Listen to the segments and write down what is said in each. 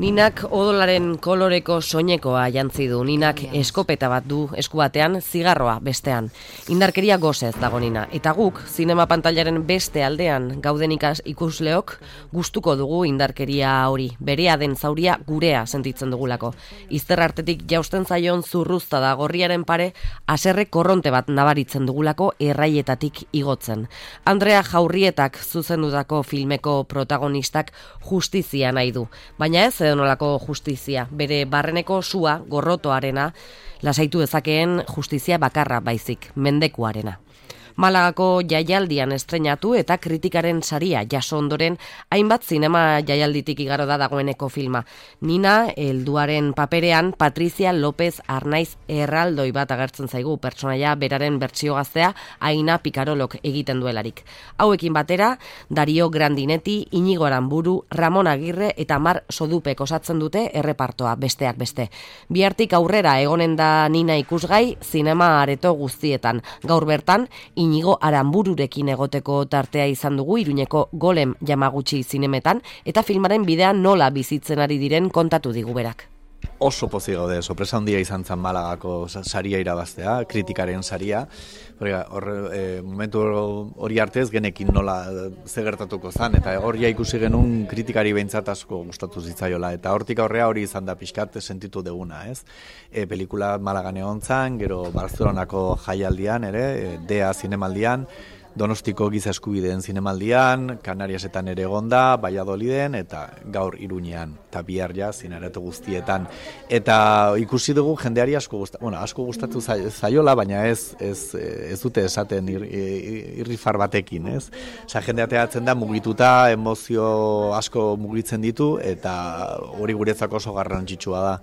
Ninak odolaren koloreko soinekoa jantzi du. Ninak eskopeta bat du esku batean, zigarroa bestean. Indarkeria gozez dago Nina. Eta guk, zinema pantailaren beste aldean gauden ikusleok, gustuko dugu indarkeria hori. Berea den zauria gurea sentitzen dugulako. Izter artetik jausten zaion zurruzta da gorriaren pare, haserre korronte bat nabaritzen dugulako erraietatik igotzen. Andrea Jaurrietak zuzendutako filmeko protagonistak justizia nahi du. Baina ez edonolako justizia, bere barreneko sua, gorrotoarena, lasaitu dezakeen justizia bakarra baizik, mendekuarena. Malagako jaialdian estreinatu eta kritikaren saria jaso ondoren hainbat zinema jaialditik igaro da dagoeneko filma. Nina, helduaren paperean, Patricia López Arnaiz erraldoi bat agertzen zaigu, pertsonaia beraren bertsio gaztea Aina Picarolok egiten duelarik. Hauekin batera, Dario Grandinetti, Inigo Aranburu, Ramon Agirre eta Mar Sodupek osatzen dute errepartoa besteak beste. Bihartik aurrera egonen da Nina ikusgai zinema areto guztietan. Gaur bertan, Inigo Aranbururekin egoteko tartea izan dugu Iruñeko Golem Yamaguchi zinemetan eta filmaren bidean nola bizitzen ari diren kontatu digu berak. Oso pozik gaude, sorpresa handia izan zen Malagako saria irabaztea, kritikaren saria. Momentu hori artez genekin nola ze gertatuko zen, eta hori ikusi genuen kritikari behintzat asko gustatu zitzaiola, eta hortik aurrea hori izan da pixkat sentitu deguna, ez? Pelikula Malagan egon zen, gero Barcelonako jaialdian ere, DEA zinemaldian, Donostiko giza eskubideen zinemaldian, Kanariasetan ere egonda, Valladoliden eta gaur Iruñean, eta bihar ja zinaratu guztietan. Eta ikusi dugu jendeari asko gustatu zaiola, baina ez dute esaten irrifar batekin, ez? Osa, jendea teatzen da mugituta, emozio asko mugitzen ditu, eta hori guretzako oso garrantzitsua da.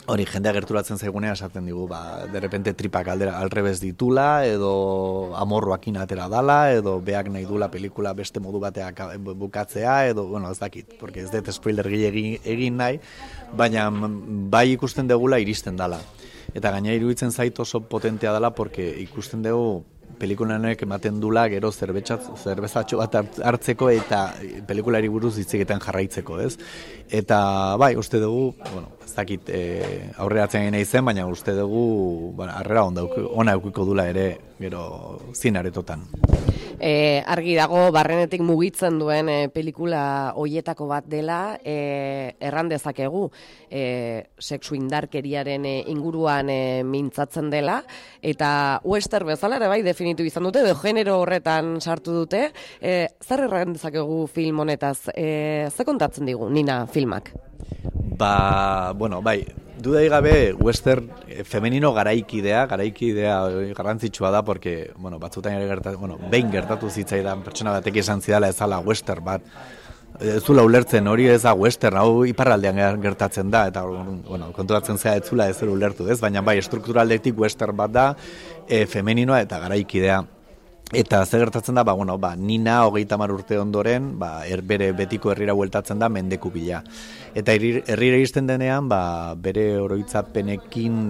Hori, jendea gerturatzen zaigunea esaten digu, derrepente tripak alrebez ditula, edo amorroakin atera dala, edo beak nahi dula pelikula beste modu bateak bukatzea, edo, ez dakit, porque ez dut spoiler egin nahi, baina bai ikusten degula iristen dala. Eta gaina iruditzen zait oso potentea dala, porque ikusten dugu pelikulanek ematen dula gero zerbezatxo bat hartzeko eta pelikulari buruz hitz egiten jarraitzeko, ez? Eta bai, uste dugu, ez dakit aurreratzen nahi zen, baina uste dugu harrera ona eukiko dula ere gero zinaretotan. Argi dago barrenetik mugitzen duen pelikula hoietako bat dela, erran dezakegu sexu indarkeriaren inguruan mintzatzen dela, eta western bezala ere bai definitu izan dute, edo genero horretan sartu dute. Zer erran dezakegu film honetaz? Ze kontatzen digu, Nina filmak? Bai, dudai gabe western femenino garaikidea garrantzitsua da, porque, batzutan ere behin gertatu zitzaidan pertsona batek esan zidala ezala western bat, ez zula ulertzen hori ez da western, hau iparraldean gertatzen da, eta konturatzen zea ez zula ez ulertu, ez? Baina bai, strukturaldetik western bat da, femeninoa eta garaikidea. Eta ze gertatzen da, Nina 30 urte ondoren, bere betiko herrira bueltatzen da mendeku bila. Eta herrira iristen denean, bere oroitzapenekin,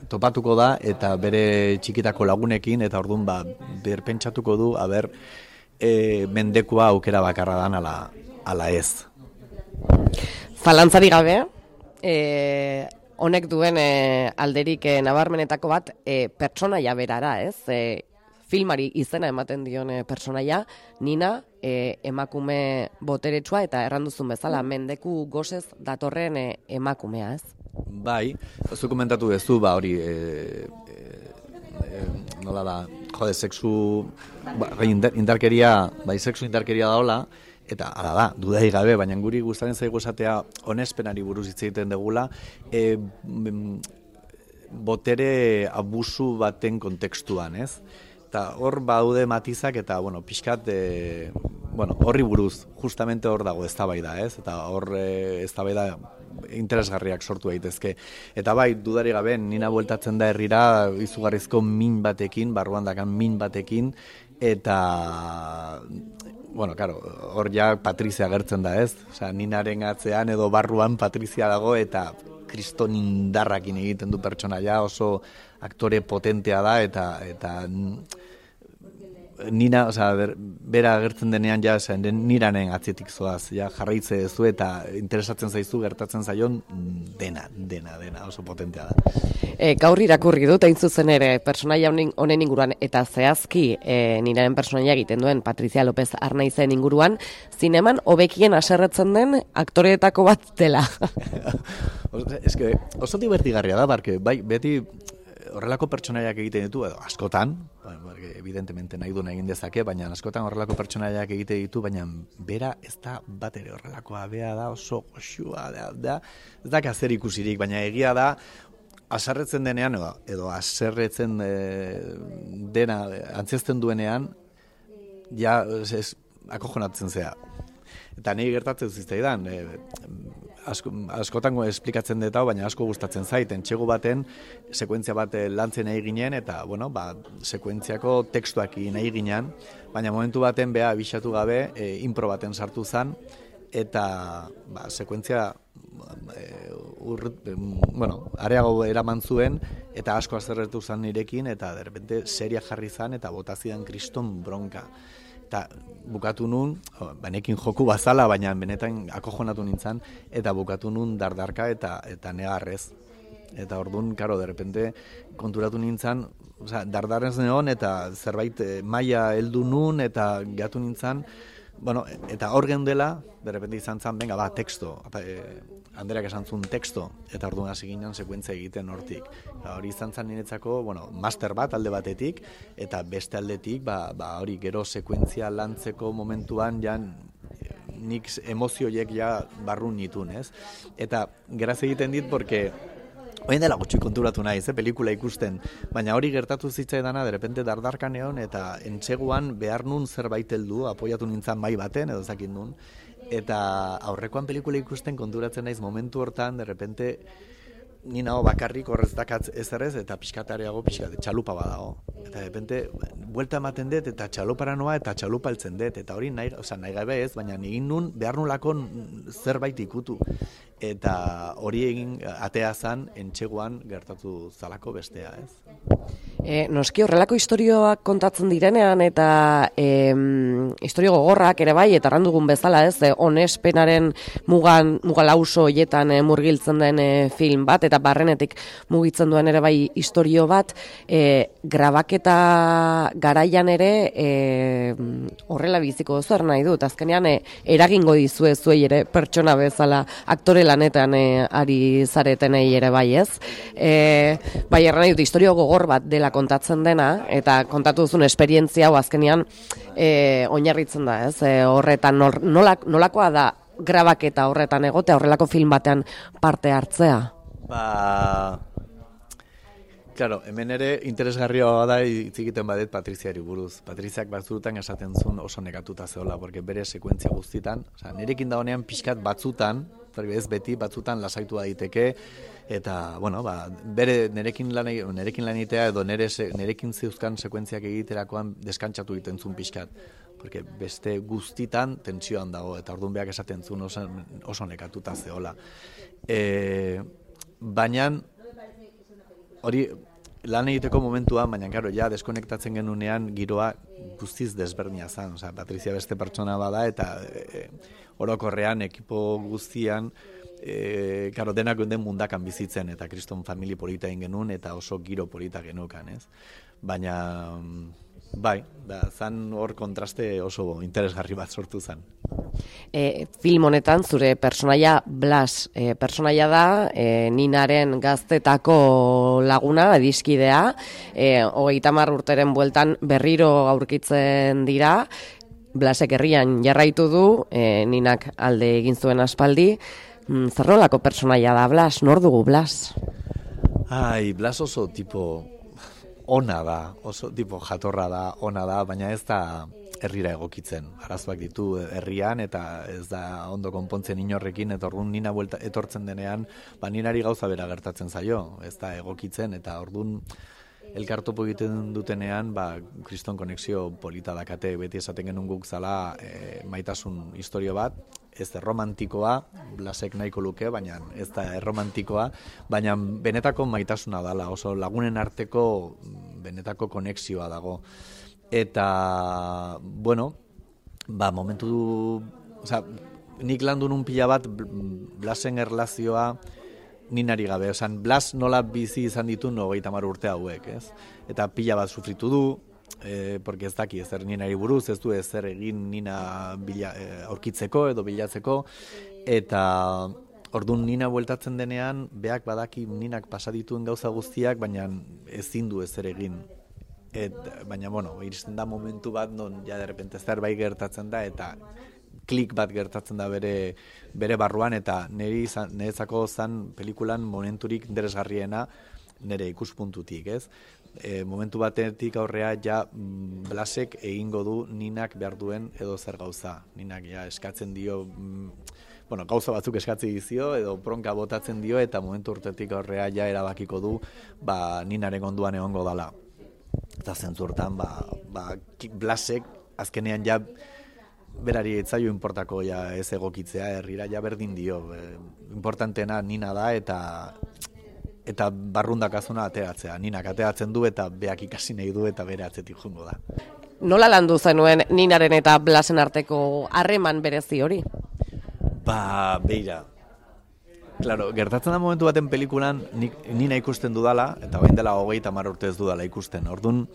topatuko da, eta bere txikitako lagunekin, eta orduan berpentsatuko du, mendekua aukera bakarra dan ala ez. Zalantzari gabe, honek duen alderik nabarmenetako bat pertsonaia berara, ez? Filmari izena ematen dion pertsonaia, Nina, emakume boteretsua eta erranduzun bezala mendeku gozez datorren emakumea, ez? Bai, zu komentatu duzu, hori nola da, sexu indarkeria, sexu indarkeria daola, eta hala da, dudai gabe, baina guri gustaren zaigu esatea onespenari buruz hitz egiten degula, botere abusu baten kontekstuan, ez? Eta hor baude matizak eta, pixkat, horri buruz, justamente hor dago eztabaida, ez? Eta hor eztabaida interesgarriak sortu daitezke. Eta bai, dudari gabe, Nina bueltatzen da herrira izugarrizko min batekin, barruan dakan min batekin, eta hor ja Patrizia agertzen da, ez? Osea, Ninaren atzean edo barruan Patrizia dago eta kriston indarrakin egiten du pertsonaia, oso aktore potentea da eta Nina, bera agertzen denean ja niranen atzetik zoaz, ja jarraitze duzu eta interesatzen zaizu gertatzen zaion dena, oso potentea da. Gaur irakurri dut, hain zuzen ere, personaia honen inguruan, eta zehazki niraren personaia egiten duen Patricia López Arnaizen inguruan, zineman hobekien haserretzen den aktoreetako bat dela. Eske, oso divertigarria da, barke, bai, beti horrelako pertsonaiak egiten ditu, edo askotan, evidentemente nahi duen egin dezake, baina askotan horrelako pertsonaiak egiten ditu, baina bera ez da bat ere horrelakoa, bea da oso goxua, da, ez da zer ikusirik, baina egia da, haserretzen denean, edo haserretzen dena antzezten duenean, ja, akojonatzen zea. Eta nahi gertatzen zitzaidan, askotan esplikatzen dut hau, baina asko gustatzen zait, entxegu baten, sekuentzia bat lantzen nahi ginen, eta, bueno, sekuentziako tekstuak nahi ginen, baina momentu baten beha abixatu gabe, impro baten sartu zen, eta sekuentzia areago eraman zuen, eta asko azerretu zen nirekin, eta derrepente seria jarri zen, eta botazidan kriston bronka. Eta bukatu nun, banekin joku bazala, baina benetan akojonatu nintzen, eta bukatu nun dardarka eta negarrez. Eta orduan, karo, derrepente konturatu nintzen, dardarrez neon, eta zerbait maila heldu nun, eta gatu nintzen, bueno, eta hor geundela, derrepente izan zen, venga, teksto, Anderak esan zuen teksto, eta orduan hasi ginen sekuentzia egiten hortik. Hori izan zen niretzako, master bat alde batetik, eta beste aldetik, hori gero sekuentzia lantzeko momentuan, nik emozioiek barrun nitun, ez? Eta geraz egiten dit, porque Oien dela gutxi konturatu naiz, pelikula ikusten, baina hori gertatu zitzaidana, derrepente dardarkan egon, eta entseguan behar nun zerbait heldu, apoiatu nintzen mai baten, edo zakin nun, eta aurrekoan pelikula ikusten konturatzen naiz momentu hortan, derrepente, ni nago bakarrik horrez dakatz ezerrez, eta pixkatareago txalupa badago. Eta derrepente, buelta ematen dut, eta txalupara noa, eta txalupa heltzen dut, eta hori nahi gabe ez, baina egin nun behar nulako zerbait ikutu. Eta hori egin atea zan entxeguan gertatu zalako bestea, ez? Noski horrelako istorioak kontatzen direnean eta istorio gogorrak ere bai, eta randugun bezala, ez? Onespenaren mugalauso hoietan murgiltzen den film bat, eta barrenetik mugitzen duen ere bai istorio bat, grabaketa garaian ere horrela biziko duzu nahi dut. Azkenean eragingo dizue zuei ere pertsona bezala aktore lanetan ari zaretenei ere bai, ez? Bai, erran nahi dut, istorio gogor bat dela kontatzen dena, eta kontatu duzun esperientzia hau azkenean oinarritzen da, ez? Horretan nolakoa da grabaketa horretan egotea, horrelako film batean parte hartzea? Claro, hemen ere interesgarria da hitz egiten badet Patriziari buruz. Patriziak batzutan esaten zuen oso negatuta zeola, porque bere sekuentzia guztitan, nirekin da honean pixkat batzutan, ez beti, batzutan lasaitu daiteke, eta, bueno, bere nerekin lan egitea edo nerekin zeuzkan sekuentziak egiterakoan deskantzatu egiten zuen pixkat. Porque beste guztitan tentsioan dago, eta orduan behak esaten zuen oso nekatuta zeola. Baina, hori lan egiteko momentuan, baina karo, deskonektatzen genunean giroa guztiz desberdina zen. Patrizia beste pertsona bada eta orokorrean ekipo guztian denak den mundakan bizitzen eta kriston famili polita egin genuen eta oso giro polita genukan, ez? Baina, bai, zan hor kontraste oso interesgarri bat sortu zen. Film honetan zure personaia Blas personaia da, Ninaren gaztetako laguna, adiskidea, 30 urteren bueltan berriro aurkitzen dira, Blasek herrian jarraitu du, Ninak alde egin zuen aspaldi. Zer nolako personaia da Blas? Nor dugu Blas? Blas oso tipo ona da, oso tipo jatorra da, ona da, baina ez da herrira egokitzen. Arazoak ditu herrian eta ez da ondo konpontzen inorrekin, eta orduan Nina etortzen denean, Ninari gauza bera gertatzen zaio, ez da egokitzen, eta orduan elkartopo egiten dutenean, kriston konexio polita dakate, beti esaten genuen guk zala maitasun istorio bat, ez erromantikoa, Blasek nahiko luke, baina ez da erromantikoa, baina benetako maitasuna dala, oso lagunen arteko benetako konexioa dago. Eta, bueno, momentu, nik landu nun pila bat Blasen erlazioa ninari gabe, Blas nola bizi izan ditu 30 urte hauek, ez? Eta pila bat sufritu du, porque ez daki ezer ninari buruz, ez du ezer egin nina aurkitzeko edo bilatzeko, eta orduan nina bueltatzen denean, beak badaki ninak pasadituen gauza guztiak, baina ezin du ezer egin. Baina, iristen da momentu bat, non, ja, derrepente zerbait gertatzen da, eta klik bat gertatzen da bere barruan, eta niretzako zan pelikulan momenturik interesgarriena nire ikuspuntutik, ez? Momentu batetik aurrea ja Blasek egingo du ninak behar duen edo zer gauza. Ninak ja eskatzen dio, gauza batzuk eskatzen dizio edo bronka botatzen dio, eta momentu urtetik aurrea ja erabakiko du ninaren onduan egongo dala. Eta zentzurtan, Blasek azkenean ja berari etzaio importako ja ez egokitzea, herrira ja berdin dio. Importantena nina da eta barrundakazuna ateratzea. Ninak ateratzen du eta beak ikasi nahi du eta bere atzetik jungo da. Nola landu zenuen ninaren eta Blasen arteko harreman berezi hori? Beira. Claro, gertatzen da momentu baten pelikulan nina ikusten dudala, eta bain dela 30 urte ez dudala ikusten. Orduan,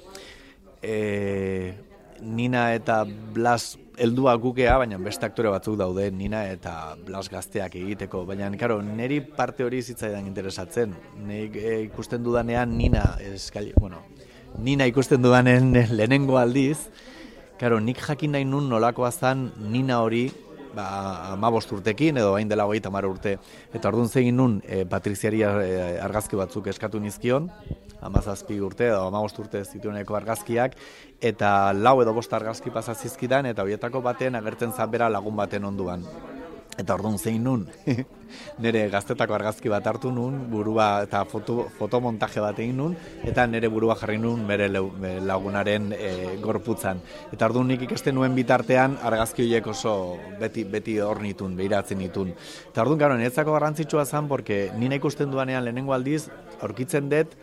Nina eta Blas heldua gukea, baina beste aktore batzuk daude Nina eta Blas gazteak egiteko. Baina, karo, niri parte hori zitzaidan interesatzen. Nik ikusten dudanean Nina ikusten dudanen lehenengo aldiz, karo, nik jakin nahi nun nolakoa zan Nina hori 15 urtekin edo hain dela 30 urte. Eta orduan zegin nun Patriziari argazki batzuk eskatu nizkion, 17 urte edo 15 urte zitueneko argazkiak, eta 4 edo 5 argazki pasazizkidan, eta horietako baten agertzen zabera lagun baten onduan. Eta orduan zein nun, nire gaztetako argazki bat hartu nun, burua eta fotomontaje bat egin nun, eta nire burua jarri nun bere lagunaren gorputzan. Eta orduan nik ikasten nuen bitartean argazki horiek oso beti hor nitun, behiratzen nitun. Eta orduan, gero, niretzako garrantzitsua zen, porque nina ikusten duanean lehenengo aldiz, aurkitzen dut,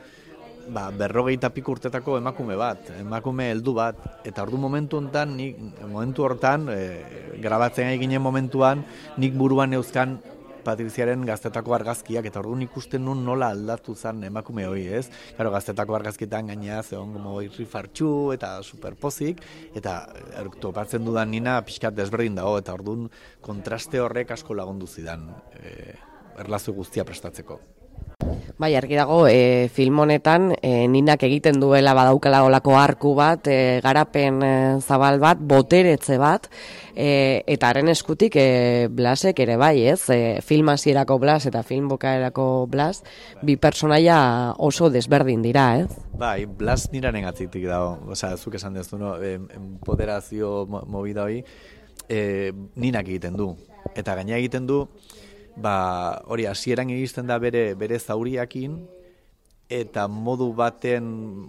50 piku urtetako emakume heldu bat, eta momentu hortan, grabatzen eginen momentuan, nik buruan neuzkan Patriziaren gaztetako argazkiak, eta orduan ikusten nun nola aldatu zen emakume hori, ez? Claro, gaztetako argazkietan gainea zegoen como irrifartxu eta superpozik, eta topatzen dudan nina pixkat desberdin dago, eta orduan kontraste horrek asko lagundu zidan erlazio guztia prestatzeko. Bai, argi dago, film honetan Ninak egiten duela badaukala olako arku bat, garapen zabal bat, boteretze bat, eta haren eskutik Blasek ere bai, ez? Film hasierako Blas eta film bukaerako Blas, bi personaia oso desberdin dira, ez? Bai, Blas niraren atzitik dago, zuk esan dezu, no? Empoderazio movida hori, Ninak egiten du, eta gaina egiten du, hori hasieran iristen da bere zauriakin, eta modu baten,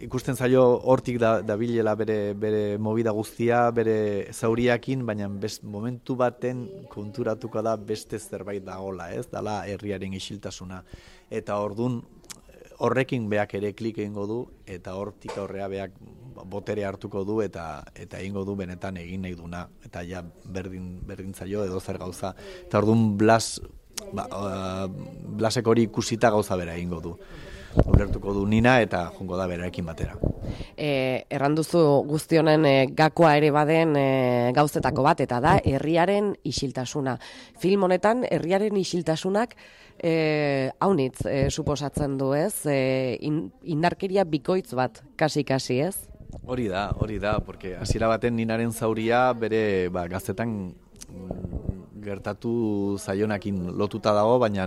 ikusten zaio hortik dabilela bere movida guztia, bere zauriakin, baina momentu baten konturatuko da beste zerbait dagola, ez? Dala herriaren isiltasuna. Eta ordun horrekin beak ere klik egingo du, eta hortik aurrea beak botere hartuko du, eta egingo du benetan egin nahi duna, eta ja berdin zaio edo zer gauza. Eta orduan Blasek hori ikusita gauza bera egingo du. Ulertuko du Nina eta jungo da berarekin batera. Erranduzu guztionen gakoa ere baden gauzetako bat, eta da herriaren isiltasuna. Film honetan herriaren isiltasunak haunitz suposatzen du, ez? Indarkeria bikoitz bat, kasi, ez? Hori da, porque hasiera baten Ninaren zauria bere gaztetan gertatu zaionakin lotuta dago, baina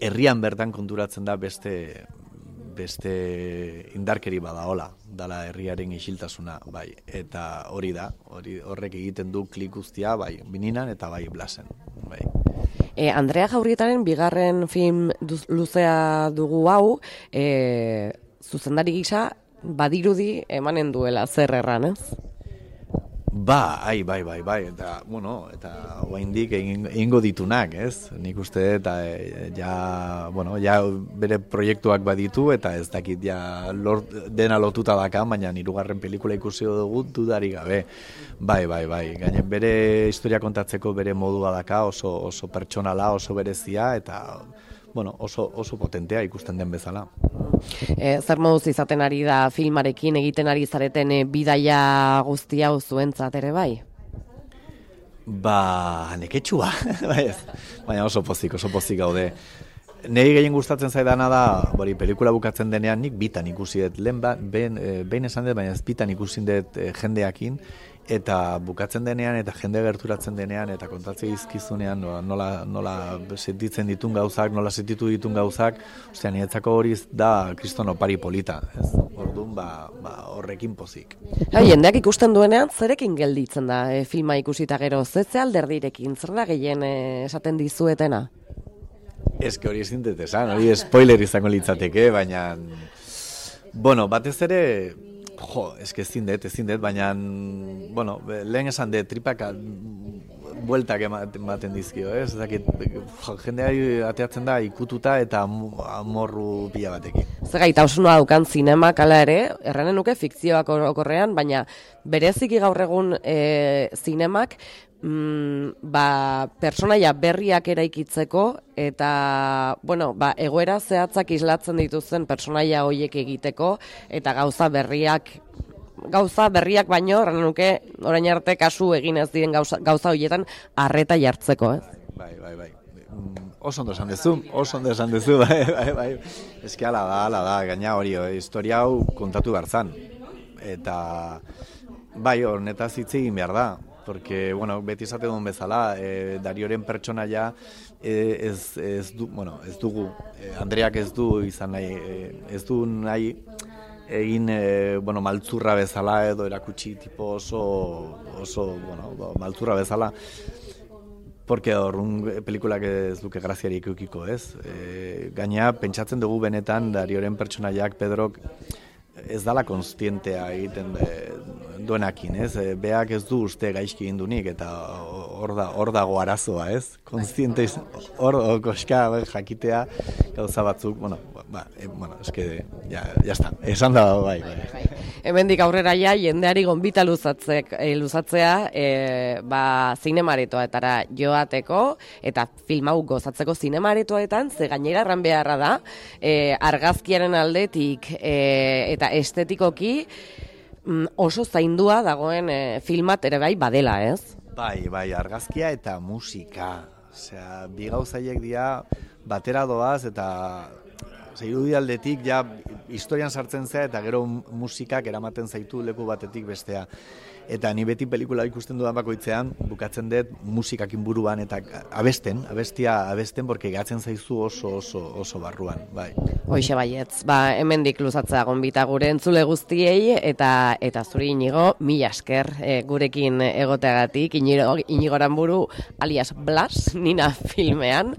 herrian bertan konturatzen da beste indarkeri badaola, dala herriaren isiltasuna, bai. Eta horrek egiten du klik guztia, bai, Ninan eta bai Blasen, bai. Andrea Jaurrietaren bigarren film luzea dugu hau, zuzendari gisa badirudi emanen duela zer erran, ez? Bai, eta, eta oraindik egingo ditunak, ez? Nik uste, eta ja bere proiektuak baditu, eta ez dakit ja dena lotuta daka, baina hirugarren pelikula ikusi dugu dudarik gabe. Bai, gaine bere historia kontatzeko bere modua daka, oso pertsonala, oso berezia, eta oso potentea ikusten den bezala. Zer moduz izaten ari da filmarekin egiten ari zareten bidaia guzti hau zuentzat ere bai? Neketsua, baina oso pozik gaude. Nei gehien gustatzen zaidana da, pelikula bukatzen denean nik bitan ikusi dut, behin esan dut, baina ez bitan ikusi dut jendeakin, eta bukatzen denean, eta jende gerturatzen denean, eta kontatzea izkizunean, nola sentitzen ditun gauzak, nola sentitu ditun gauzak, niretzako hori da kriston opari polita, ez? Orduan, horrekin pozik. Jendeak ikusten duenean, zerekin gelditzen da filma ikusita gero, ze alderdirekin, zer da gehien esaten dizuetena? Ez hori ezin dut esan, hori spoiler izango litzateke, baina, batez ere, ezin dut, baina, lehen esan dut, tripak bueltak ematen dizkio, ez? Jendeari ateatzen da ikututa eta amorru pila batekin. Zer gaitasunoa daukan zinemak ala ere, erranen nuke fikzioak okorrean, baina bereziki gaur egun zinemak personaia berriak eraikitzeko eta egoera zehatzak islatzen dituzten personaia horiek egiteko eta gauza berriak baino erran nuke orain arte kasu egin ez diren gauza horietan arreta jartzeko, ez? Bai. Oso ondo esan dezu, bai. Eski ala da, gaina hori, historia hau kontatu behartzan. Eta bai, honetaz hitz egin behar da. Porque, beti izate duen bezala, Darioren pertsonaia ez dugu, Andreak ez du izan nahi, ez du nahi egin, maltzurra bezala edo erakutsi tipo oso maltzurra bezala. Porque horrun pelikulak ez duke graziarik eukiko, ez? Gaina, pentsatzen dugu benetan Darioren pertsonaiak, Pedrok, ez dala konstientea egiten duenakin, ez? Beak ez du uste gaizki indunik, eta hor dago arazoa, ez? Konstiente, hor koska jakitea gauza batzuk, eske, ya esan da, bai. Hemendik aurrera jendeari gonbita luzatzea, zinemaretoetara joateko, eta film hau gozatzeko zinemaretoetan, ze gainera erran beharra da, argazkiaren aldetik, eta estetikoki oso zaindua dagoen filmat ere bai badela, ez? Bai, argazkia eta musika. Osea, bi gauzaiek dira batera doaz eta irudialdetik ja historian sartzen zea eta gero musikak eramaten zaitu leku batetik bestea. Eta ni beti pelikula ikusten dudan bakoitzean, bukatzen dut musikakin buruan eta abestia abesten, porque gatzen zaizu oso barruan, bai. Hoixe baietz, hemendik luzatzea gonbita gure entzule guztiei, eta zuri Inigo, mila esker gurekin egoteagatik, Inigo Aranburu, alias Blas, Nina filmean,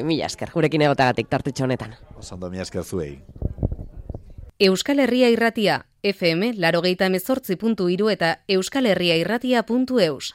mila esker gurekin egoteagatik tartitxo honetan. Osondo, mila esker zuei. Euskal Herria Irratia, FM 88.3 eta euskalherriairratia.eus.